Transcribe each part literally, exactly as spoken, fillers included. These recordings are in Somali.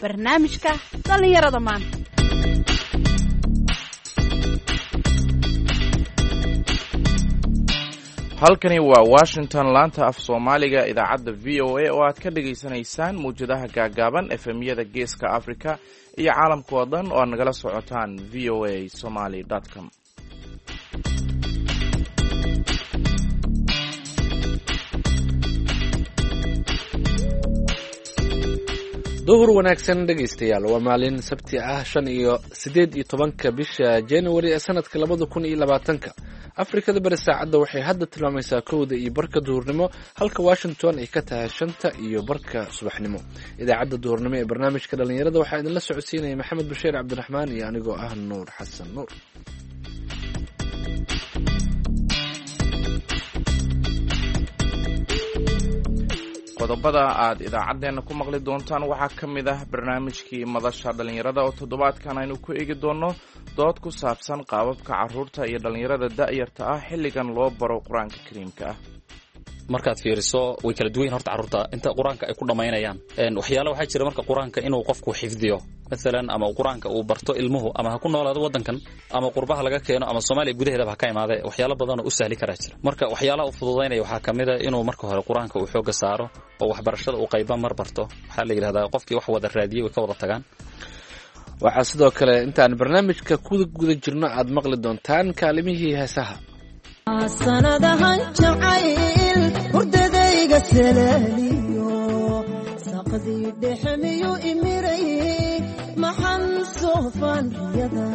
Barnaamijka dhallinyarada maanta. Halkani waa Washington, laanta af Soomaaliga idaacadda V O A oo aad ka dhagaysanaysaan mawjadaha gaagaaban, F M-yada Geeska Africa iyo caalamka oo dhan oo aad nagala socotaan V O A Somaly com. Duhur wanaagsan, dhegaystayaal. Waa maalin Sabti ah, shan iyo siddeed iyo tobanka bisha January ee sanadka labada kun iyo labaatanka. Afrikada Bari saacadda waxay hadda tilmaamaysaa kowda iyo barka duhurnimo, halka Washington ay ka tahay shanta iyo barka subaxnimo. Idaacadda duhurnimo ee barnaamijka dhallinyarada waxaa idinla socodsiinaya Maxamed Bashiir Cabdiraxmaan iyo anigoo ah Nuur Xasan Nuur. Qodobada aad idaacaddeenna ku maqli doontaan waxaa ka mid ah barnaamijkii madasha dhallinyarada oo toddobaadkan aynu ku eegi doonno dood ku saabsan qaababka carruurta iyo dhallinyarada da'yarta ah xilligan loo baro Qur-aanka Kariimka ah. Markaad fiiriso, way kala duwan yihin horta carruurta inta Qur-aanka ay ku dhammaynayaan. Waxyaala waxaa jira marka Qur-aanka inuu qofku xifdiyo maalan ama Qur-aanka uu barto ilmuhu, ama ha ku noolaado waddankan ama qurbaha laga keeno ama Soomaaliya gudaheedaba ha ka imaadee, waxyaalo badanoo u sahli karaa jira. Marka waxyaalaha u fududaynaya waxaa ka mid a inuu marka hore Qur-aanka uu xoogga saaro oo waxbarashada uu qayba mar barto. Waxaa la yidhahdaa qofkii wax wada raadiyey way ka wada tagaan. Waxaa sidoo kale intaan barnaamijka ku guda jirno aad maqli doontaan kaalimihii heesaha. Sanadahan jacayl hurdadayga salaaliyo, saqdii dhexmiyu imiray, maxan soofaan riyada.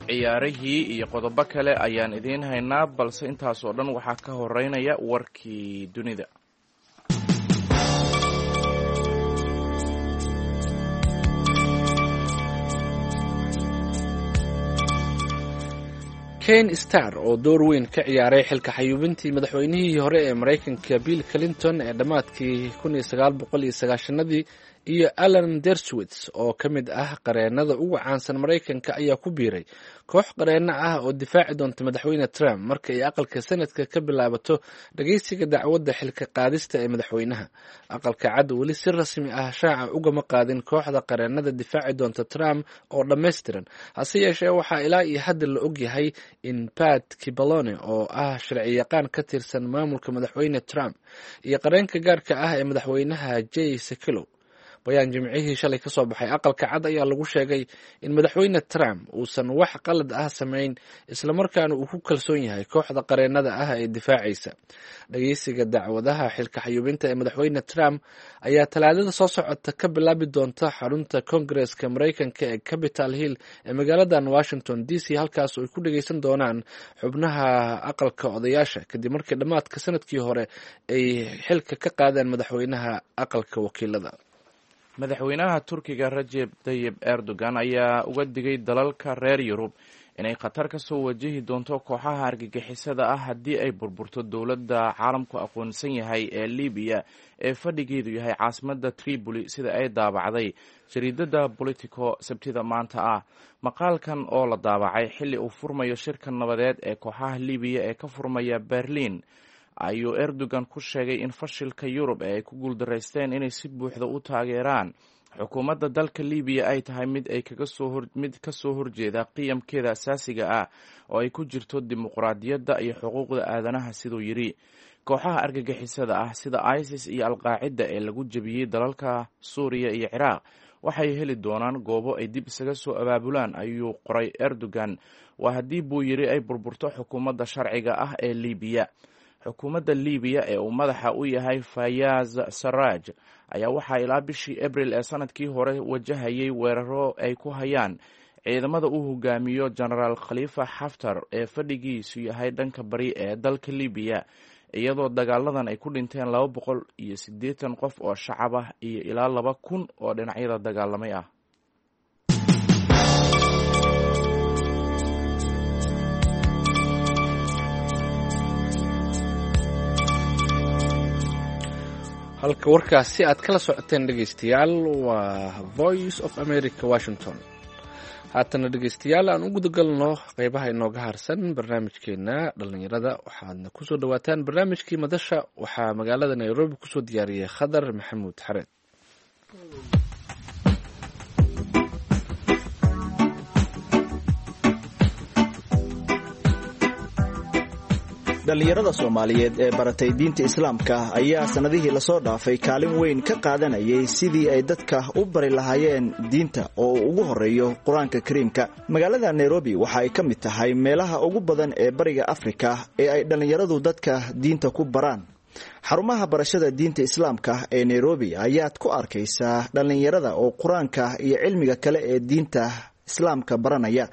Ciyaarihii iyo qodobo kale ayaan idiin haynaa, balse intaas oo dhan waxaa ka horeynaya warkii dunida. Ken Star oo door weyn ka ciyaaray xilka xayuubintii madaxweynihii hore ee Maraykanka Bill Clinton ee dhammaadkii kun iyo sagaal boqol iyo sagaashanadii, iyo Alan Dershowitz oo ka mid ah qareenada ugu caansan Maraykanka, ayaa ku biiray koox qareeno ah oo difaaci doonta Madaxweyne Trump marka ay Aqalka Sanadka ka bilaabato dhageysiga dacwadda xilka qaadista ee madaxweynaha. Aqalka Cad weli si rasmi ah shaaca ugama qaadin kooxda qareenada difaaci doonta Trump oo dhammaystiran. Hase yeeshee, waxaa ilaa iyo hadda la ogyahay in Pat Cipollone oo ah sharciyaqaan ka tirsan maamulka Madaxweyne Trump iyo qareenka gaarka ah ee madaxweynaha Jay Sekulow. Bayaan Jimcihii shalay ka soo baxay Aqalka Cad ayaa lagu sheegay in Madaxweyne Trump uusan wax qalad ah samayn, islamarkaana uu ku kalsoon yahay kooxda qareenada ah ee difaacaysa. Dhageysiga dacwadaha xilka xayuubinta ee Madaxweyne Trump ayaa Talaadada soo socota ka bilaabi doonta xarunta Koongareska Maraykanka ee Capitol Hill ee magaaladan Washington D C, halkaas oo ay ku dhageysan doonaan xubnaha Aqalka Odayaasha, kadib markii dhammaadka sanadkii hore ay xilka ka qaadeen madaxweynaha Aqalka Wakiilada. Madaxweynaha Turkiga Rajeb Tayib Erdogan ayaa uga digay dalalka reer Yurub inay khatar ka soo wajahi doonto kooxaha argagixisada ah haddii ay burburto dowladda caalamku aqoonsan yahay ee Libiya ee fadhigeedu yahay caasimadda Tripoli, sida ay daabacday jariidada Politico Sabtida maanta ah. Maqaalkan oo la daabacay xilli uu furmayo shirka nabadeed ee kooxaha Libiya ee ka furmaya Berlin ayuu Erdogan ku sheegay in fashilka Yurub ee ay ku guuldaraysteen inay si buuxda u taageeraan xukuumadda dalka Libiya ay tahay mid ay kaga soo mid ka soo horjeeda qiyamkeeda asaasiga ah oo ay ku jirto dimuqraadiyadda iyo xuquuqda aadanaha. Siduu yidhi, kooxaha argagixisada ah sida ISIS iyo Alqaacida ee lagu jebiyey dalalka Suuriya iyo Ciraaq waxay heli doonaan goobo ay dib isaga soo abaabulaan, ayuu qoray Erdogan. Waa haddii, buu yidhi, ay burburto xukuumadda sharciga ah ee Libiya. Xukuumadda Libiya ee uu madaxa u yahay Fayaz Saraj ayaa waxaa ilaa bishii Abril ee sanadkii hore wajahayay weeraro ay ku hayaan ciidamada uu hogaamiyo Genaraal Khalifa Xaftar ee fadhigiisu yahay dhanka bari ee dalka Libiya, iyadoo dagaaladan ay ku dhinteen laba boqol iyo siddeetan qof oo shacab ah iyo ilaa laba kun oo dhinacyada dagaalamay ah. Halka warkaasi aad kala socoteen, dhegeystayaal, waa Voice of America, Washington. Haatana, dhegeystayaal, aan u gudagalno qeybaha inooga harsan barnaamijkeena dhalinyarada. Waxaadna kusoo dhawaataan barnaamijkii madasha. Waxaa magaalada Nairobi kusoo diyaariyey Khadar Maxamuud Xareed. Dhallinyarada Soomaaliyeed ee baratay diinta Islaamka ayaa sanadihii lasoo dhaafay kaalin weyn ka qaadanayay sidii ay dadka u bari lahaayeen diinta oo uu ugu horeeyo Qur-aanka Kariimka. Magaalada Nairobi waxa ay ka mid tahay meelaha ugu badan ee Bariga Afrika ee ay dhallinyaradu dadka diinta ku baraan. Xarumaha barashada diinta Islaamka ee Nairobi ayaad ku arkaysaa dhallinyarada oo qur-aanka iyo cilmiga kale ee diinta Islaamka baranaya,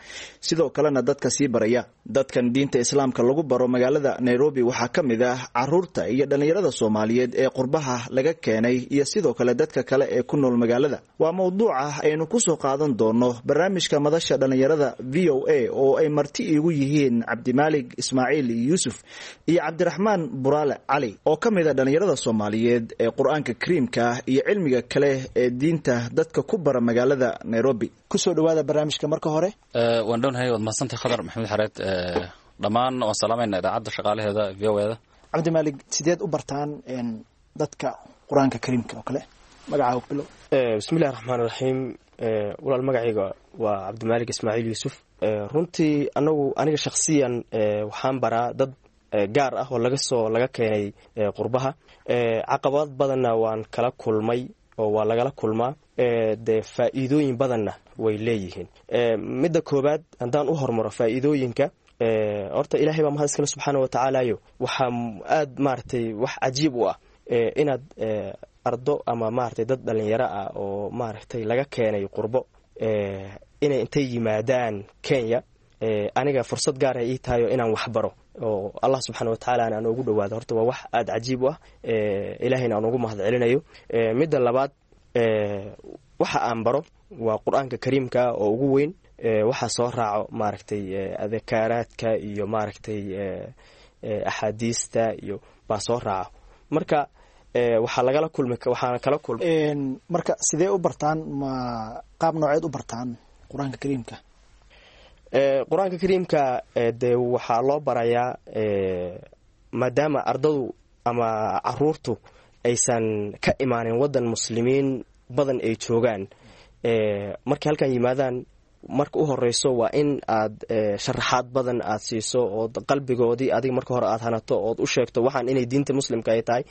sidoo kalena dadka sii baraya. Dadkan diinta Islaamka lagu baro magaalada Nairobi waxaa ka mid ah caruurta iyo dhallinyarada Soomaaliyeed ee qurbaha laga keenay iyo sidoo kale dadka kale ee ku nool magaalada. Waa mowduuca aynu kusoo qaadan doono barnaamijka Madasha Dhallinyarada V O A oo ay marti iigu yihiin Cabdimaalig Ismaaciil Yuusuf iyo Cabdiraxmaan Buraale Cali oo ka mid a dhallinyarada Soomaaliyeed ee Qur-aanka Kariimka iyo cilmiga kale ee diinta dadka ku bara magaalada Nairobi. Kusoo dhawaada barnaamijka marka hore. Waan dhownahay, waad mahadsantahay Khadar Maxamed Xareed. Dhammaan waan salaamayna idaacadda shaqaalaheeda V O A da. Cabdimaalig, sideed u bartaan dadka Qur-aanka Kariimka oo kale? Magacaaga ku bilow. Bismillahi raxmaan raxiim. Walaal, magacayga waa Cabdimaalig Ismaaciil Yuusuf. Runtii anagu aniga shakhsiyan waxaan baraa dad gaar ah oo laga soo laga keenay qurbaha. Caqabad badanna waan kala kulmay oo waa lagala kulmaa, dee faa'iidooyin badanna way leeyihiin. Midda koobaad haddaan u hormaro faa'iidooyinka, horta Ilaahay baa mahad iskale subxaana wa tacaalayo. Waxaa aad maaragtay wax cajiib u ah inaad ardo ama maaragtay dad dhalinyaro ah oo maaragtay laga keenay qurbo inay intay yimaadaan Kenya, aniga fursad gaar ah ii tahayo inaan waxbaro oo Allah subxaana wa tacaala aan ugu dhawaado. Horta waa wax aada cajiib u ah, Ilaahayna aan ugu mahad celinayo. Midda labaad, waxa aan baro waa Qur-aanka Kariimka oo ugu weyn. Waxaa soo raaco maaragtay adakaaraadka iyo maaragtay axaadiista iyo baa soo raaco. Marka waxaa lagala kulmi waxaana kala kulmay. Marka sidee u bartaan, ma qaab nooceed u bartaan Qur-aanka Kariimka? Qur-aanka Kariimka dee waxaa loo barayaa, maadaama ardadu ama caruurtu aysan ka imaanin waddan muslimiin badan ay joogaan, markay halkan yimaadaan marka u horeyso waa in aad sharaxaad badan aad siiso oo qalbigoodii adiga marka hore aad hanato ood u sheegto waxaan inay diinta muslimka ay tahay,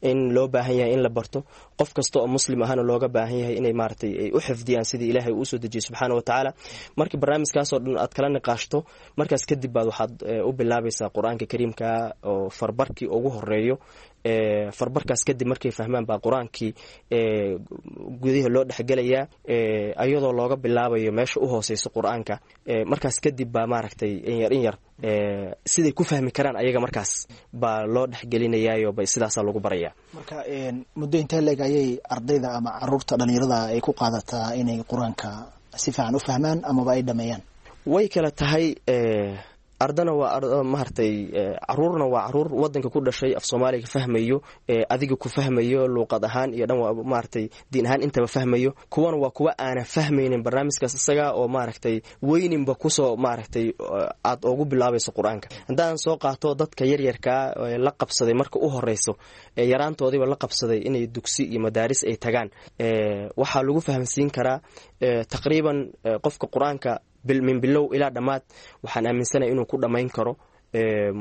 in loo baahan yahay in la barto, qof kasta oo muslim ahana looga baahan yahay inay maaragtay ay u xifdiyaan sidii Ilaahay uu usoo dejiyey subxaana wa tacaala. Markii barnaamijkaasoo dhan aad kala niqaashto, markaas kadib baad waxaad u bilaabaysaa Qur-aanka Kariimka oo farbarkii ugu horeeyo. Farbarkaas kadib markay fahmaan baa qur-aankii gudaha loo dhexgelayaa, ayadoo looga bilaabayo meesha u hooseyso qur-aanka. Markaas kadib baa maaragtay inyar in yar siday ku fahmi karaan ayaga markaas baa loo dhexgelinayaayo bay sidaasaa lagu barayaa. Marka muddo intee leeg ayay ardayda ama caruurta dhalinyarada ay ku qaadataa inay qur-aanka si fiican u fahmaan amaba ay dhameeyaan? Way kala tahay. Ardana waa maaragtay caruurna waa caruur wadanka ku dhashay, af Soomaaliga fahmayo, adiga ku fahmayo luuqad ahaan iyo dhan maaragtay diin ahaan intaba fahmayo. Kuwana waa kuwa aanan fahmaynin barnaamijkaas isaga oo maaragtay weyninba kusoo maaragtay aad ugu bilaabayso qur-aanka. Haddaan soo qaato dadka yaryarkaa la qabsaday marka u horeyso, yaraantoodiiba la qabsaday inay dugsi iyo madaaris ay tagaan, waxaa lagu fahamsiin karaa taqriiban qofka qur-aanka min bilow ilaa dhammaad waxaan aaminsanaya inuu ku dhammayn karo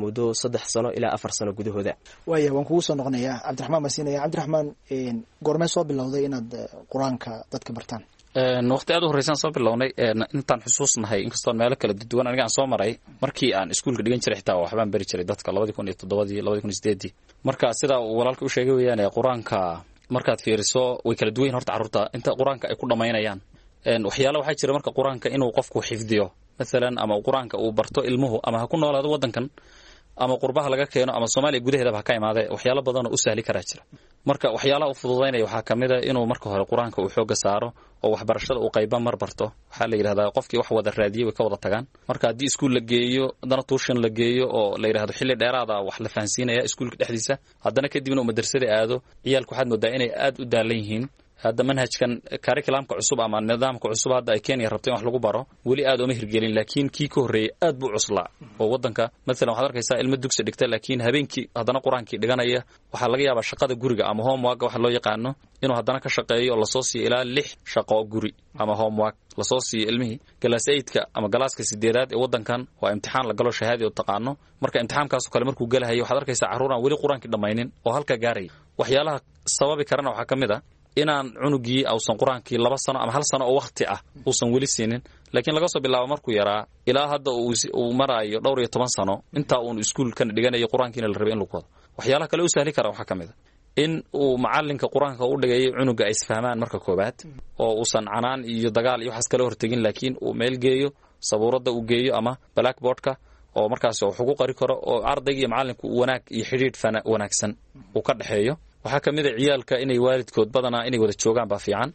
muddo saddex sano ilaa afar sano gudahooda. Waaya, waan kugu soo noqonayaa. Cabdiraxmaan baan siinaya. Cabdiraxmaan, goormee soo bilowday inaad qur-aanka dadka bartaan? Waqti aad u horreysaan soo bilownay intaan xusuusnahay, inkastoon meelo kala duwan aniga aan soo maray. Markii aan iskuulka dhigan jiray xitaa waxbaan bari jiray dadka labadii kun iyo toddobadii, labadii kun iyo sideedii. Marka sidaa uu walaalka u sheegay weeyaan, qur-aanka markaad fiiriso way kala duwan yihin horta carruurta inta qur-aanka ay ku dhammaynayaan. Waxyaala waxaa jira marka qur-aanka inuu qofku xifdiyo maalan ama qur-aanka uu barto ilmuhu, ama ha ku noolaado waddankan ama qurbaha laga keeno ama Soomaaliya gudaheedaba ha ka imaadee, waxyaalo badanoo u sahli karaa jira. Marka waxyaalaha u fududaynaya waxaa ka mid a inuu marka hore qur-aanka uu xoogga saaro oo waxbarashada uu qayba mar barto. Waxaa la yidhahdaa qofkii wax wada raadiyey way ka wada tagaan. Marka haddii iskuul la geeyo, haddana tuushan la geeyo oo la yidhahdo xilli dheeraada wax la fahansiinaya iskuulka dhexdiisa, haddana kadibna uu madrasada aado, ciyaalku waxaad moodaa inay aad u daalan yihiin. Hadda manhajkan curriculumka cusub ama nidaamka cusub hadda ay Kenya rabto in wax lagu baro weli aad uma hirgelin, laakiin kii ka horreeyey aad buu cuslaa oo waddanka maalan waxaad arkaysaa ilmo dugsi dhigta laakiin habeenkii haddana qur-aankii dhiganaya. Waxaa laga yaabaa shaqada guriga ama homework waxa loo yaqaano Inuu haddana ka shaqeeyo oo lasoo siiyo ilaa lix shaqo guri ama homework lasoo siiyo ilmihii class eight-ka ama galaaska sideedaad ee waddankan, waa imtixaan la galo, shahaadi oo taqaano. Marka imtixaankaasoo kale markuu gelahayo, waxaad arkaysaa carruur aan weli Qur-aankii dhammaynin oo halka gaaraya. Waxyaalaha sababi karana waxaa ka mid ah inaan cunugii ausan Qur-aankii laba sano ama hal sano oo wakhti ah uusan weli siinin, laakiin laga soo bilaabo markuu yaraa ilaa hadda uu maraayo dhowr iyo toban sano, intaa uun iskuulkana dhiganayo, Qur-aankiina la rabay in lagu wado. Waxyaalaha kale u sahli kara waxaa ka mid a in uu macalinka Qur-aanka u dhigayay cunuga ay isfahmaan marka koobaad, oo uusan canaan iyo dagaal iyo waxaas kala hortegin, laakiin uu meel geeyo, sabuuradda uu geeyo ama blackboardka, oo markaas wax ugu qori karo, oo ardayga iyo macalinku wanaag iyo xidhiidh wanaagsan uu ka dhexeeyo. Waxaa ka mid a ciyaalka inay waalidkood badanaa inay wada joogaan baa fiican,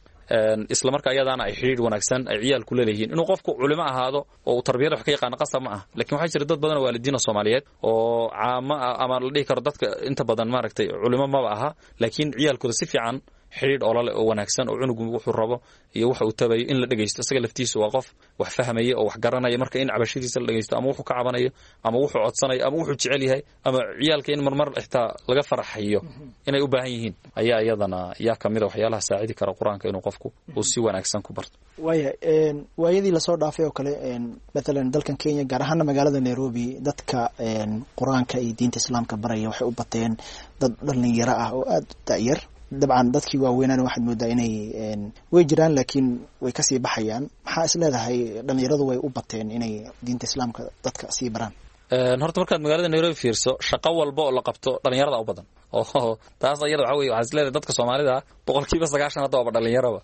isla marka ayadaana ay xidhiidh wanaagsan ay ciyaalku leeleyihiin. Inuu qofku culimo ahaado oo uu tarbiyada wax ka yaqaano qasab ma ah, lakin waxaa jira dad badan oo waalidiina Soomaaliyeed oo caamo ah ama la dhihi karo dadka inta badan maaragtay culimo maba aha, laakiin ciyaalkooda si fiican xidhiidh olole oo wanaagsan, oo cunugu wuxuu rabo iyo waxa uu tabayo in la dhegeysto. Isaga laftiisu waa qof wax fahmaya oo wax garanaya. Marka in cabashadiisa la dhegeysto, ama wuxuu ka cabanayo, ama wuxuu codsanayo, ama wuxuu jecel yahay, ama ciyaalka in marmar xitaa laga faraxayo inay u baahan yihiin, ayaa iyadana yaa kamid a waxyaalaha saacidi kara Qur-aanka inuu qofku uu si wanaagsan ku barto. Waaya, waayadii lasoo dhaafay oo kale, mathalan dalkan Kenya, gaar ahaana magaalada Nairobi, dadka Qur-aanka iyo diinta Islaamka baraya waxay u bateen dad dhalinyaro ah oo aada u da'yar. Dabcan dadkii waaweynaana waxaad moodaa inay way jiraan, laakiin way kasii baxayaan. Maxaa is leedahay dhalinyaradu way u bateen inay diinta Islaamka dadka sii baraan? Horta markaad magaalada Nairobi fiirso, shaqo walba oo la qabto dhalinyarada u badan, oo taas ayada waxa weye waxaa is leedahay dadka Soomaalida boqolkiiba sagaashan hadda waaba dhalinyaraba.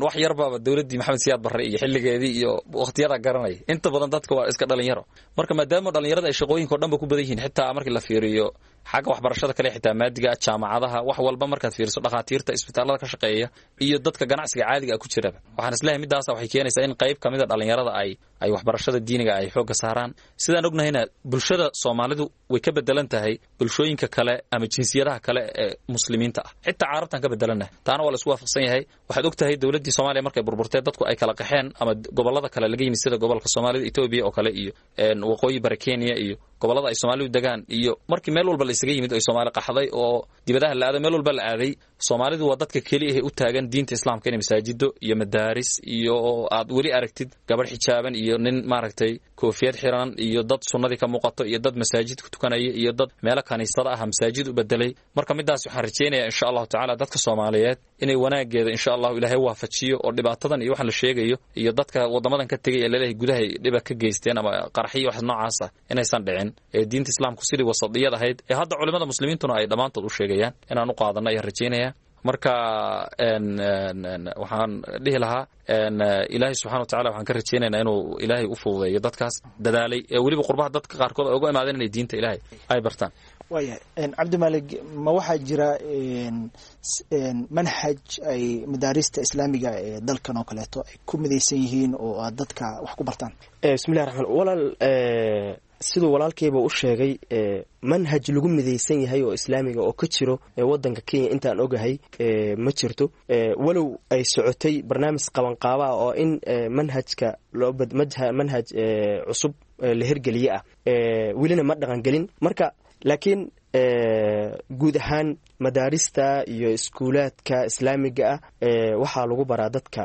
Wax yarbaaba dowladdii Maxamed Siyaad Barre iyo xilligeedii iyo waqtiyada garanaya. Inta badan dadka waa iska dhalinyaro. Marka maadaama dhalinyarada ay shaqooyinka o dhan ba ku badan yihiin, xitaa markii la fiiriyo xagga waxbarashada kale, xitaa maadiga, jaamacadaha, wax walba markaad fiiriso, dhakhaatiirta isbitaalada ka shaqeeya iyo dadka ganacsiga caadiga ah ku jiraba, waxaan isleeyahay middaasa waxay keenaysaa in qayb kamid a dhalinyarada ay ay waxbarashada diiniga ay xoogga saaraan. Sidaan ognahayna, bulshada Soomaalidu way ka bedelan tahay bulshooyinka kale ama jinsiyadaha kale ee Muslimiinta ah, xitaa Carabtaan ka bedelannahay. Taana waa la isku waafaqsan yahay. Waxaad og tahay dowladdii Soomaaliya markay burburtee, dadku ay kala qaxeen ama gobollada kale laga yimid, sida gobolka Soomaalida Etoobiya oo kale iyo waqooyi bari Kenya iyo gobollada ay Soomaalidu degaan, iyo markii meel walba la isaga yimid, ay Soomaali qaxday oo dibadaha la aaday, meel walba la aaday, Soomaalidu waa dadka keliya ee u taagan diinta Islaamka, inay masaajido iyo madaaris iyo aad weli aragtid gabadh xijaaban iyo nin maaragtay koofiyad xiran iyo dad sunnadii ka muuqato iyo dad masaajid ku tukanaya iyo dad meelo kaniisada ah masaajid u bedelay. Marka midaas waxaan rajeynaya insha Allahu tacaala dadka Soomaaliyeed inay wanaageeda insha Allahu Ilaahay waafajiyo, oo dhibaatadan iyo waxaan la sheegayo iyo dadka wadamadan ka tegay ee laleeyahay gudahay dhiba ka geysteen ama qaraxiyo wax noocaas ah inaysan dhicin, ee diinta Islaamku sidii wasadiyad ahayd ee hadda culimada Muslimiintuna ay dhammaantood u sheegayaan inaan u qaadano ayaan rajeynaya. Marka waxaan dhihi lahaa, Ilaahay subxana wa tacala waxaan ka rajeynaynaa inuu Ilaahay u fududeeyo dadkaas dadaalay ee weliba qurbaha dadka qaarkood ay uga imaadeen inay diinta Ilaahay ay bartaan. Waayahay, Cabdimalig, ma waxaa jira manhaj ay madaarista Islaamiga ee dalkan oo kaleeto ay ku midaysan yihiin oo aad dadka wax ku bartaan? Bismillahi raxmaan. Walaal, siduu walaalkayba u sheegay, manhaj lagu midaysan yahay oo Islaamiga oo ka jiro wadanka Kenya intaan ogahay ma jirto, walow ay socotay barnaamij qabanqaabaa oo in manhajka loo manhaj cusub la hirgeliye ah, welina ma dhaqangelin. Marka laakiin guud ahaan madaarista iyo iskuulaadka Islaamiga ah waxaa lagu baraa dadka,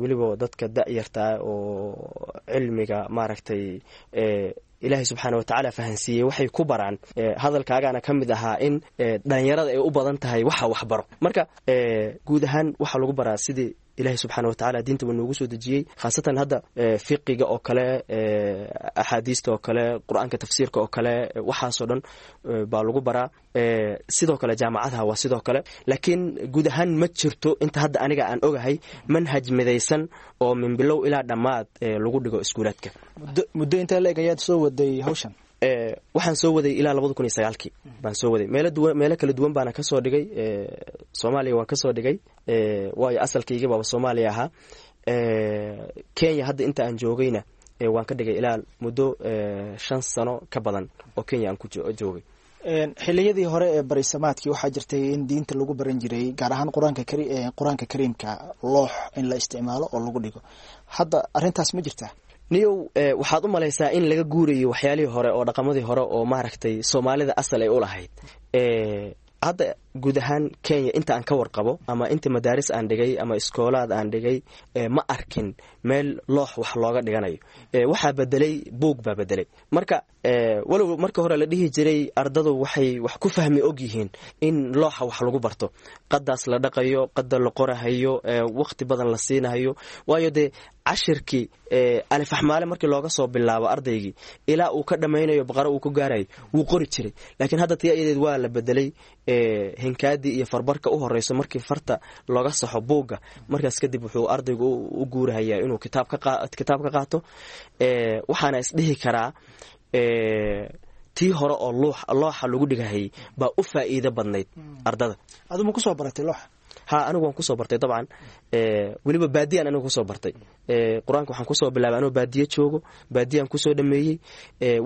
weliba dadka da'yartaa oo cilmiga maaragtay Ilaahay subxaana watacaala fahansiiyey waxay ku baraan. Hadalkaagaana ka mid ahaa in dhalinyarada ay u badan tahay waxa waxbaro. Marka guud ahaan waxaa lagu baraa sidii Ilahay subxaana watacaala diinta uu noogu soo dejiyey, khaasatan hadda fiqiga oo kale, axaadiista oo kale, Qur-aanka tafsiirka oo kale, waxaasoo dhan baa lagu baraa. Sidoo kale jaamacadaha waa sidoo kale, laakiin guud ahaan ma jirto inta hadda aniga aan ogahay manhaj midaysan oo min bilow ilaa dhammaad lagu dhigo iskuulaadka. Muddo intee la eg ayaad soo waday hawshan? Waxaan soo waday ilaa labada kun iyo sagaalkii baan soo waday. Meelo duwan, meelo kala duwan baana kasoo dhigay. Soomaaliya waan kasoo dhigay, waayo asalkayga baaba Soomaaliya ahaa. Kenya hadda inta aan joogayna waan ka dhigay ilaa muddo shan sano ka badan oo Kenya aan ku joogay. Xiliyadii hore ee barisamaadkii waxaa jirtay in diinta lagu baran jiray, gaar ahaan qur-aanka kari Qur-aanka Kariimka, loox in la isticmaalo oo lagu dhigo. Hadda arrintaas ma jirtaa? Niyow, waxaad u malaysaa in laga guurayo waxyaalihii hore oo dhaqamadii hore oo maaragtay Soomaalida asal ay u lahayd. Hadda Guud ahaan Kenya inta aan ka warqabo ama inta madaaris aan dhigay ama iskoolaad aan dhigay, ma arkin meel loox wax looga dhiganayo. Waxaa bedelay buug baa bedelay. Marka walow marka hore la dhihi jiray ardadu waxay wax ku fahmi og yihiin in looxa wax lagu barto, qadaas la dhaqayo, qada la qorahayo, waqti badan la siinahayo, waayo dee cashirkii alifaxmaale markii looga soo bilaabo ardaygii ilaa uu ka dhammaynayo baqaro uu ku gaarayo wuu qori jiray. Laakiin hadda tii ayadeed waa la bedelay. Hinkaadii iyo farbarka u horeyso markii farta looga saxo buugga, markaas kadib wuxuu ardaygu u guurahayaa inuu kitaab kitaab ka qaato. Waxaana isdhihi karaa tii hore oo looxa lagu dhigahayay baa u faa'iido badnayd ardada. Adu ma kusoo baratay looxa? Ha, anigu waan kusoo bartay dabcan, weliba baadiyaan anigu kusoo bartay qur-aanka. Waxaan kusoo bilaabay anoo baadiye joogo, baadiyaan kusoo dhameeyey,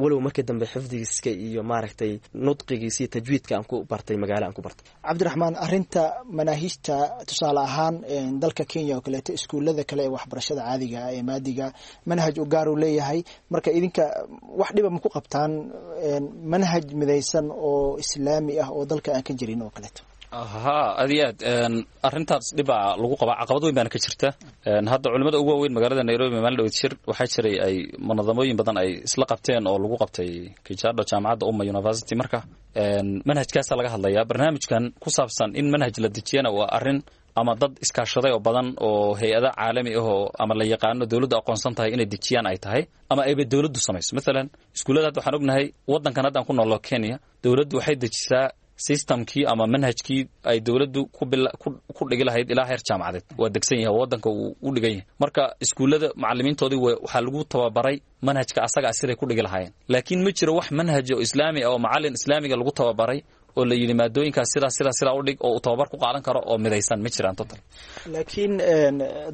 walow markii dambe xifdigiiska iyo maaragtay nudqigiisa iyo tajwiidka aan ku bartay magaalo aan ku bartay. Cabdiraxmaan, arrinta manaahijta tusaale ahaan dalka Kenya oo kaleeto, iskuullada kale ee waxbarashada caadiga ah ee maadiga manhaj u gaar uu leeyahay. Marka idinka wax dhiba ma ku qabtaan manhaj midaysan oo islaami ah oo dalka aan ka jirin oo kaleeto? Ha, aad iyo aad arrintaas dhibaa lagu qabaa, caqabad weyn baana ka jirta. Hadda culimada ugu waaweyn magaalada Nairobi maalin dhaweyd shir waxaa jiray ay munadamooyin badan ay isla qabteen oo lagu qabtay Kijado, jaamacadda Umma University. Marka manhajkaasaa laga hadlayaa. Barnaamijkan ku saabsan in manhaj la dejiyana waa arrin ama dad iskaashaday oo badan oo hay-ada caalami ah oo ama la yaqaano dowladdu aqoonsan tahay inay dejiyaan ay tahay, ama ayba dowladdu samayso. Maalan iskuullada hadda waxaan ognahay waddankan haddaan ku noolno Kenya, dowladdu waxay dejisaa systemkii ama manhajkii ay dowladdu ku dhigi lahayd ilaa heer jaamacadeed. Waa degsan yahay, waddanka uu u dhigan yahay. Marka iskuullada macalimiintoodii waxaa lagu tababaray manhajka asagaa siday ku dhigi lahaayeen, laakiin ma jiro wax manhaj oo islaami ah oo macalin islaamiga lagu tababaray oo la yidhi maadooyinkaas sidaa sidaa sidaa u dhig oo uu tababar ku qaadan karo oo midaysan ma jiraan total. Laakiin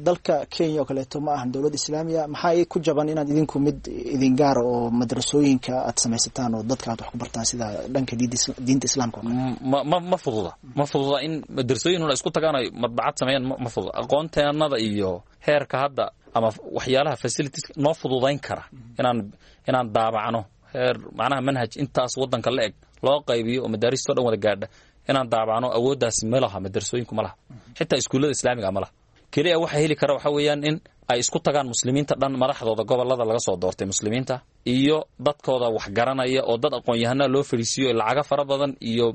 dalka Kenya oo kaleeto ma ahan dowlad islaamiya. Maxaa ku jaban inaad idinku mid idin gaara oo madrasooyinka aad samaysataan oo dadka aad wax ku bartaan sida dhanka diinta islaamka oo kale? Ma ma ma fududa, ma fududa in madrasooyin una isku tagaan ay madbacad sameeyaan, ma fududa. Aqoonteenada iyo heerka hadda ama waxyaalaha facilities noo fududayn kara inaan inaan daabacno heer macnaha manhaj intaas waddanka la eg loo qaybiyo oo madaaristoo dhan wada gaadha inaan daabacno, awooddaasi ma laha. Madrasooyinku ma laha, xitaa iskuullada islaamiga ma laha. Keliya waxa heli kara waxaa weeyaan in ay isku tagaan muslimiinta dhan, madaxdooda gobolada laga soo doortay muslimiinta iyo dadkooda wax garanaya oo dad aqoon-yahanaa loo fadhiisiiyo, lacago fara badan iyo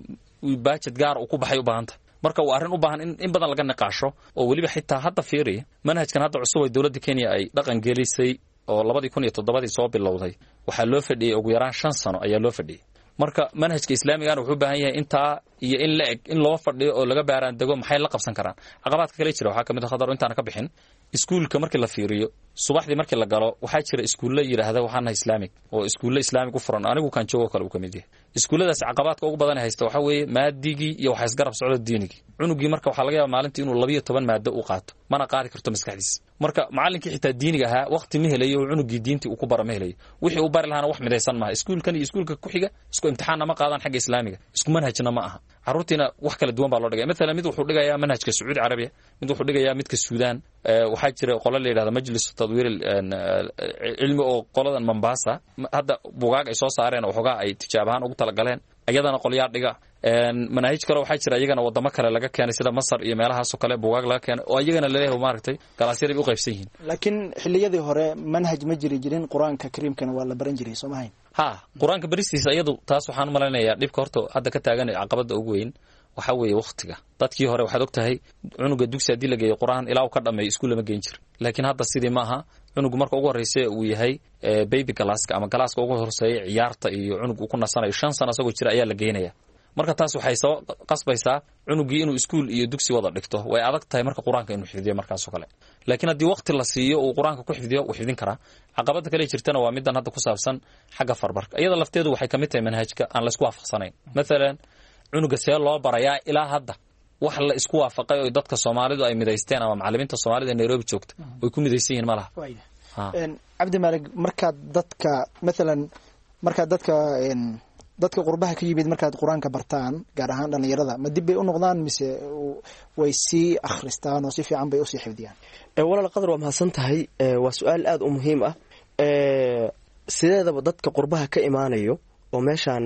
baajed gaar uu ku baxay u baahanta. Marka waa arrin u baahan in in badan laga niqaasho oo weliba xitaa hadda fiiriya manhajkan hadda cusub ay dowladda Kenya ay dhaqan gelisay oo labadii kun iyo toddobadii soo bilowday, waxaa loo fadhiyey ugu yaraan shan sano ayaa loo fadhiyey. Marka manhajka islaamigana wuxuu u baahan yahay intaa iyo in la eg in loo fadhiyo oo laga baaraan dego maxay la qabsan karaan. Caqabaadka kale jira waxaa ka mid ah, Khadar, intaana ka bixin, iskuulka markii la fiiriyo subaxdii markii la galo, waxaa jira iskuulle yidhaahda waxaan nahay islaamig oo iskuulle islaamig u furan, anigu kan joogo kale uu ka mid yahay. Iskuulladaas caqabaadka ugu badan haysta waxaa weeye maadigii iyo waxa isgarab socdo diinigii. Cunugii marka waxaa laga yaaba maalintii inuu labiyo toban maado u qaato, mana qaadi karto maskaxdiisa. Marka macallinkii xitaa diiniga ahaa waqti ma helayo oo cunugii diintii uu ku bara ma helayo. Wixii uu bari lahaana wax midaysan maaha. Iskuulkan iyo iskuulka ku xiga isku imtixaanna ma qaadaan xagga islaamiga, isku manhajna ma aha. Carruurtiina wax kala duwan baa loo dhigaya. Maalan mid wuxuu dhigayaa manhajka Sacuudi Carabiya, mid wuxuu dhigayaa midka Suudaan. Waxaa jira qolo la yidhahda Majlis Tadwiir Cilmi oo qoladan Mombasa hadda bugaag ay soo saareen oo waxoogaa ay tijaab ahaan ugu talagaleen, iyadana qolyaa dhiga. Manaahij kale waxaa jira iyagana wadamo kale laga keenay sida Masar iyo meelahaasoo kale bugaag laga keenay oo iyagana laleeyahay maaragtay galaasyada bay u qaybsan yihiin. Laakiin xilliyadii hore manhaj ma jiri jirin, qur-aanka kariimkana waa la baran jiray, soo mahayn? Ha, qur-aanka baristiisa iyadu taas waxaan u malaynayaa dhibka horta hadda ka taagan caqabada ugu weyn waxaa weeye wakhtiga. Dadkii hore waxaad og tahay cunuga dugsi haddii la geeyo qur-aan ilaa uu ka dhameeyo iskuul lama geyn jir, laakiin hadda sidii ma aha. Cunugu marka ugu horreysa uu yahay baby galaaska ama galaaska ugu horseeya ciyaarta iyo cunug uu ku nasanayo shan sano asagoo jira ayaa la geynaya. Marka taas waxay soo qasbaysaa cunugii inuu iskuul iyo dugsi wada dhigto. Way adag tahay marka qur-aanka inuu xifdiyo markaasoo kale, laakiin haddii waqti la siiyo uu qur-aanka ku xifdiyo wuu xifdin karaa. Caqabada kale jirtana waa middan hadda ku saabsan xagga farbarka. Iyada lafteedu waxay ka mid tahay manhajka aan laysku waafaqsanayn. Maalan cunuga see loo barayaa, ilaa hadda wax la isku waafaqay oo dadka Soomaalidu ay midaysteen ama macalimiinta Soomaalida ee Nairobi joogta way ku midaysan yihiin ma laha. Cabdi Maalig, markaad dadka maalan markaad dadka dadka qurbaha ka yimid markaad qur-aanka bartaan, gaar ahaan dhalinyarada, ma dib bay u noqdaan mise way sii akhristaan oo si fiican bay usii xifdiyaan? Walaal Qadar, waa mahadsan tahay, waa su-aal aada u muhiim ah. Sideedaba dadka qurbaha ka imaanayo oo meeshaan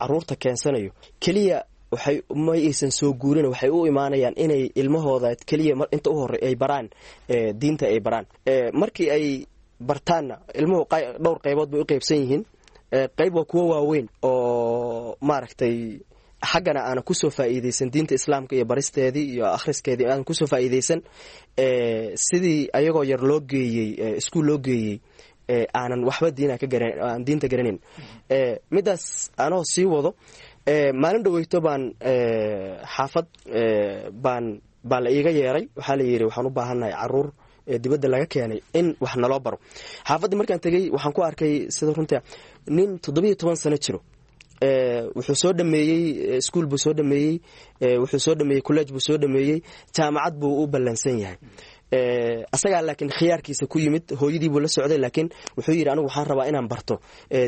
caruurta keensanayo keliya Waxay ma aysan soo guurin, waxay u imaanayaan inay ilmahooda keliya inta u horey ay baraan diinta ay baraan. Markii ay bartaanna ilmuhu dhowr qaybood bay u qaybsan yihiin. Qayb waa kuwo waaweyn oo maaragtay xaggana aanan kusoo faa'iideysan diinta islaamka iyo baristeedii iyo akhriskeedii aanan kusoo faa'iideysan, sidii ayagoo yar loo geeyey iskuul loo geeyey, aanan waxba diina ka garan, aan diinta garanayn. Midaas anoo sii wado, maalin dhaweyto baan xaafad baan baa la iiga yeeray. Waxaa la yidhi waxaan u baahannahay caruur dibadda laga keenay in wax naloo baro. Xaafaddii markaan tegey waxaan ku arkay sida runta nin toddobiyo toban sano jiro. Wuxuu soo dhameeyey iskuul buu soo dhameeyey, wuxuu soo dhameeyey college buu soo dhameeyey, jaamacad buu u ballansan yahay asagaa, laakiin khiyaarkiisa ku yimid, hooyadii buu la socday. Laakiin wuxuu yidhi anigu waxaan rabaa inaan barto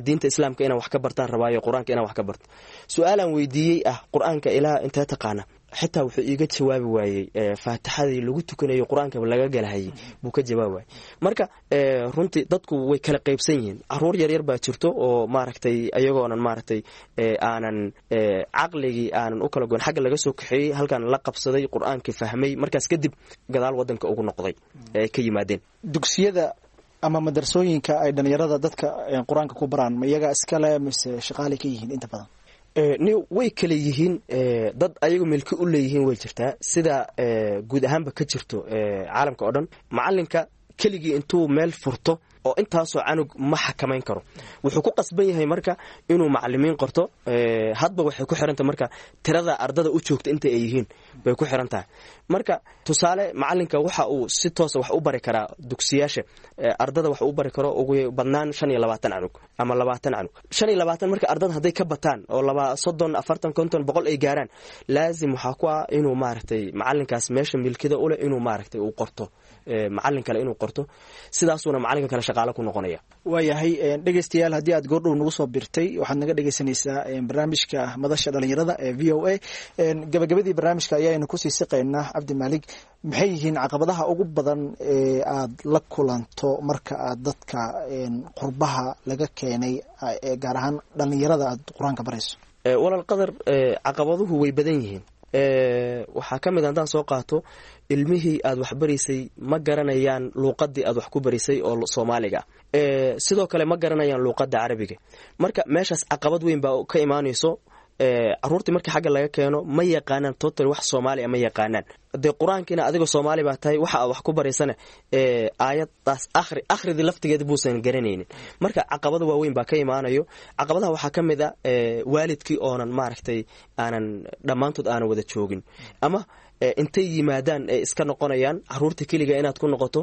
diinta islaamka, inaan wax ka bartaan rabaayo, qur-aanka inaan wax ka barto. Su-aalaan weydiiyey ah qur-aanka ilaa intee taqaana, xitaa wuxuu iiga jawaabi waayey. Faatixadii lagu tukanayo qur-aanka laga galahayay buu ka jawaabi waayey. Marka runtii dadku way kala qaybsan yihiin. Caruur yaryar baa jirto oo maaragtay ayagoonan maaragtay aanan caqligii aanan u kala goyn xagga laga soo kaxeeyey, halkan la qabsaday, qur-aankii fahmay, markaas kadib gadaal wadanka ugu noqday ay ka yimaadeen. Dugsiyada ama madrasooyinka ay dhalinyarada dadka qur-aanka ku baraan, ma iyagaa iskale mise shaqaalay ka yihiin inta badan? Ni way kala yihiin. Dad ayagu milki u leeyihiin way jirtaa, sida guud ahaanba ka jirto caalamka oo dhan. Macalinka keligii intuu meel furto oo intaasoo canug ma xakamayn karo. Wuxuu ku qasban yahay marka inuu macalimiin qorto. Hadba waxay ku xiranta marka tirada ardada u joogta inta ay yihiin bay ku xiran tahay. Marka tusaale macalinka waxa uu si toosa wax u bari karaa dugsiyaasha ardada wax u bari karo ugu badnaan shan iyo labaatan canug ama labaatan canug, shan iyo labaatan. Marka ardada hadday ka bataan oo laba, soddon, afartan, konton, boqol ay gaaraan, laazim waxaa ku ah inuu maaragtay macalinkaas meesha milkida uleh inuu maaragtay uu qorto macalin kale inuu qorto. Sidaasuuna macalinka kale shaqaale ku noqonaya. Waayahay dhegeystayaal, haddii aad goordhow nagu soo birtay, waxaad naga dhegeysanaysaa barnaamijka madasha dhalinyarada ee V O A. Gabagabadii barnaamijka ayaaynu kusii siqaynaa. Cabdi Maalig, maxay yihiin caqabadaha ugu badan ee aad la kulanto marka aad dadka qurbaha laga keenay, gaar ahaan dhalinyarada, aad qur-aanka barayso? Walaal Qadar, caqabaduhu way badan yihiin. Waxaa ka mid haddaan soo qaato, ilmihii aad wax baraysay ma garanayaan luuqadii aad wax ku baraysay oo Soomaaliga, sidoo kale ma garanayaan luuqadda Carabiga. Marka meeshaas caqabad weyn baa ka imaanayso. Caruurtii markii xagga laga keeno ma yaqaanaan total wax Soomaaliya ma yaqaanaan. Dee qur-aankiina adigoo Soomaali baa tahay, waxa aad wax ku baraysana aayadaas akhri, akhridii laftigeeda buusan garanaynin. Marka caqabada waaweyn baa ka imaanayo. Caqabadaha waxaa ka mid a waalidkii oonan maaragtay aanan dhammaantood aanan wada joogin, ama intay yimaadaan ay iska noqonayaan, caruurta keliga inaad ku noqoto.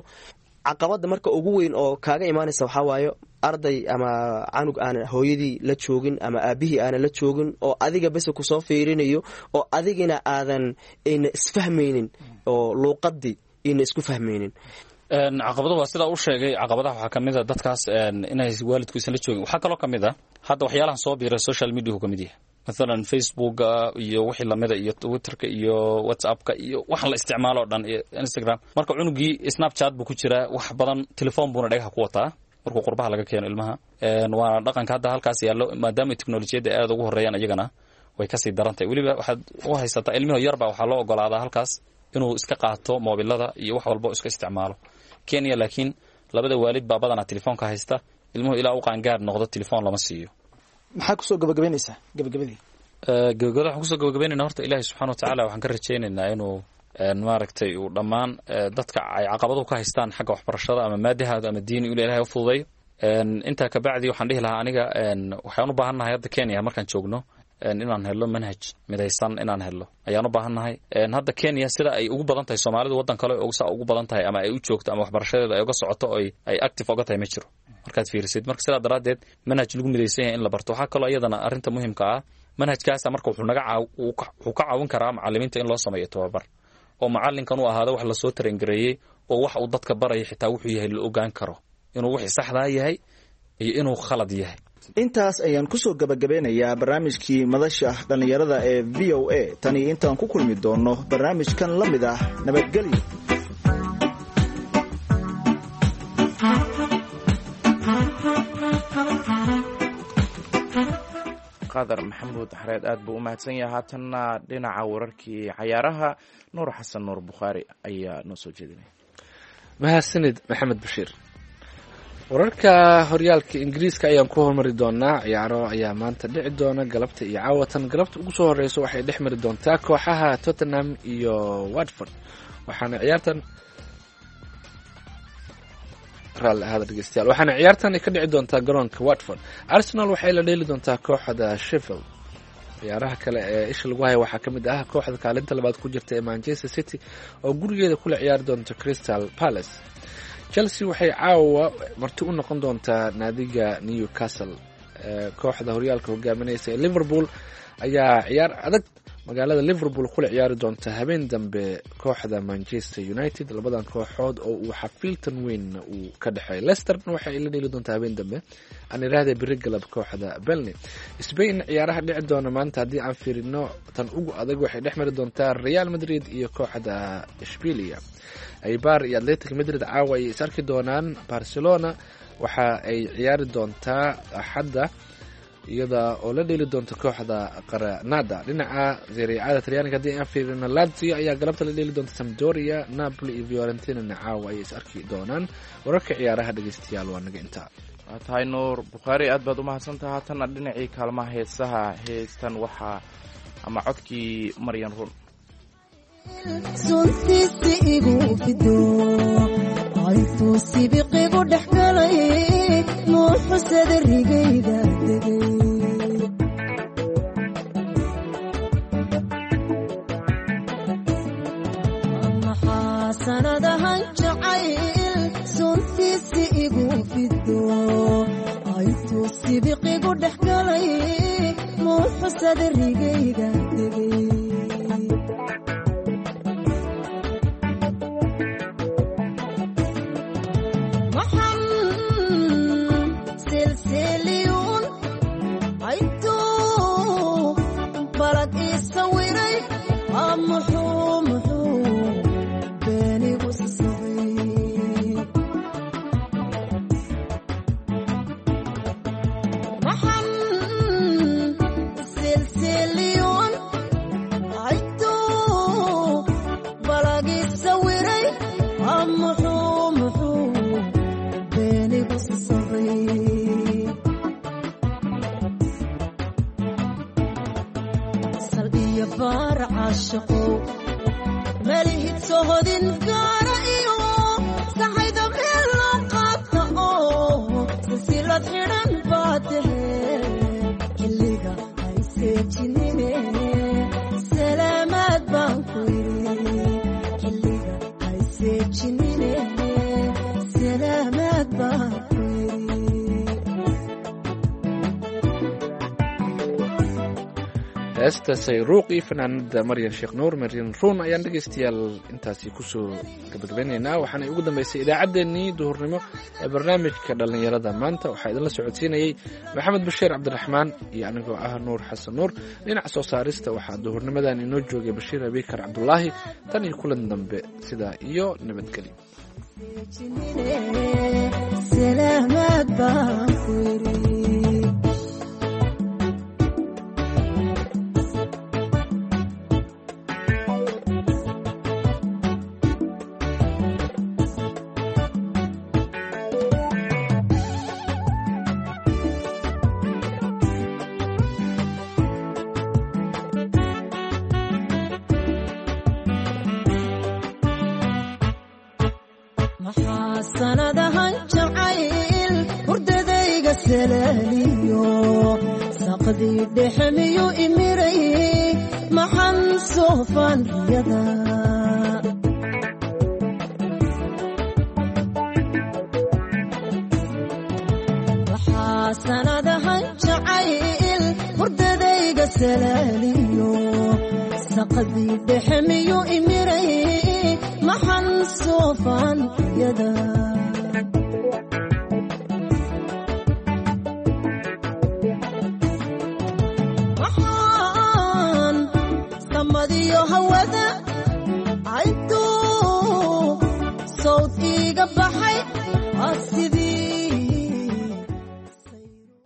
Caqabada marka ugu weyn oo kaaga imaanaysa waxaa waayo arday ama canug aanan hooyadii la joogin ama aabihii aanan la joogin oo adiga bese kusoo fiirinayo, oo adigina aadan ayna isfahmaynin oo luuqadii ayna isku fahmaynin. Caqabado waa sidaa u sheegay. Caqabadaha waxaa ka mid a dadkaas inay waalidku isan la joogin. Waxaa kaloo ka mid a hadda waxyaalahan soo biiray social mediahu ka mid yahay, mathalan Facebooka iyo wixii lamida iyo Twitterka iyo WhatsAppka iyo waxaan la isticmaalo o dhan iyo Instagram. Marka cunugii Snapchat buu ku jiraa wax badan, telefoon buuna dhagaha ku wataa markuu qurbaha laga keeno ilmaha. Waana dhaqanka hadda halkaas yaallo, maadaama teknolojiyadda aad ugu horreeyaan iyagana way kasii daran tahay. Weliba waxaad u haysataa ilmihi yarbaa waxaa loo ogolaadaa halkaas inuu iska qaato moobilada iyo wax walba iska isticmaalo. Kenya laakiin labada waalid baa badanaa telefoonka haysta. Ilmuhu ilaa u qaangaar noqdo telefoon lama siiyo. Maxaa kusoo gabagabaynaysaa gabagabadii? Gabagabada waxaan kusoo gabagabaynayna, horta Ilaahay subxana watacaala waxaan ka rajaynaynaa inuu maaragtay uu dhammaan dadka ay caqabaduhu ka haystaan xagga waxbarashada ama maadihaada ama diini inu Ilahay u fududeeyo. Intaa kabacdi waxaan dhihi lahaa aniga waxaan u baahannahay hadda Kenya markaan joogno inaan helno manhaj midaysan, inaan helno ayaan u baahannahay. Hadda Kenya sida ay ugu badan tahay Soomaalidu waddan kale saa ugu badan tahay ama ay u joogto ama waxbarashadeeda ay uga socoto oy ay active oga tahay ma jiro markaad fiirisid. Marka sidaa daraaddeed manhaj lagu midaysan yahay in la barto. Waxaa kaloo iyadana arrinta muhimka ah, manhajkaasa marka wuxuu naga caaw wuxuu ka caawin karaa macallimiinta in loo sameeyo tababar, oo macallinkan uu ahaado wax lasoo tarangareeyey oo wax uu dadka baraya xitaa wuxuu yahay la ogaan karo inuu wixii saxdaa yahay iyo inuu khalad yahay. Intaas ayaan kusoo gabagabeynayaa barnaamijkii madasha dhallinyarada ee V O A. Tani intaan ku kulmi doonno barnaamijkan la mid ah, nabadgelyo. Khadar Maxamuud Xareed aad buu u mahadsan yahay. Haatanna dhinaca wararkii cayaaraha, Nuur Xasan Nuur Bukhaari ayaa noo soo jeedinaya. Mahadsanid Maxamed Bashiir. Wararka horyaalka Ingiriiska ayaan ku hormari doonaa. Ciyaaro ayaa maanta dhici doona galabta iyo caawatan. Galabta ugu soo horeysa waxay dhex mari doontaa kooxaha Tottenham iyo Watford, waxaana ciyaartan raalli ahaada dhegeystayaal, waxaana ciyaartan ay ka dhici doontaa garoonka Watford. Arsenal waxay la dheeli doontaa kooxda Sheffield. Ciyaaraha kale ee isha lagu haya waxaa ka mid ah kooxda kaalinta labaad ku jirta ee Manchester City oo gurigeeda kula ciyaari doonta Crystal Palace. Chelsea waxay caawa marti u noqon doontaa naadiga Newcastle. Kooxda horyaalka hogaaminaysa ee Liverpool ayaa ciyaar adag magaalada Liverpool kula ciyaari doonta habeen dambe kooxda Manchester United, labadan kooxood oo uu xafiiltan weyn uu ka dhexeeyo. Leicesterna waxay la dheeli doontaa habeen dambe, aan iraahda beri galab, kooxda Burnley. Spain ciyaaraha dhici doona maanta haddii aan fiirino, tan ugu adag waxay dhex mari doontaa Real Madrid iyo kooxda Ishbilia. Eibar iyo Atletic Madrid caawa ay is arki doonaan. Barcelona waxa ay ciyaari doontaa Axadda iyada oo la dheeli doonta kooxda Granada. Dhinaca Serie A-da Talyaaniga haddii aan fiirino, Lazio ayaa galabta la dheeli doonta Sampdoria. Napoli iyo Fiorentina caawa ayay is arki doonaan. Wararka ciyaaraha dhegeystayaal waa naga intaa. Waa tahay Nuur Bukhaari, aad baad umahadsantaha. Haatanna dhinacii kaalmaha heesaha, heestan waxaa ama codkii Maryan Run. Suntiisi igu fido, intuu sibiqigu dhex galay, muuxusada rigayga degay. Maxaa sanadahan jacayl suntiisi igu fido, intuu sibiqigu dhex galay, muuxusada rigayga degay. Heesta Sayruuq iyo fanaanada Maryan Sheekh Nuur, Maryan Ruun, ayaan dhegeystayaal intaasi kusoo gabagabeynaynaa. Waxaana ugu dambeysay idaacaddeenii duhurnimo ee barnaamijka dhallinyarada maanta. Waxaa idinla socodsiinayey Maxamed Bashiir Cabdiraxmaan iyo anigoo ah Nuur Xasan Nuur. Dhinaca soo saarista waxaa duhurnimadan inoo joogay Bashiir Abikar Cabdulaahi. Tan iyo kulan dambe, sidaa iyo nabadgelyo. Sanadahan jacayl hurdadayga salaaliyo, saqdii dhexmiyu imiray, maxan soofaan riyada. Waxaa sanadahan jacayl hurdadayga salaaliyo, saqdii dhexmiyu imiray, maxan soofaan riyada. Hawada intuu sawd iiga baxay sidii.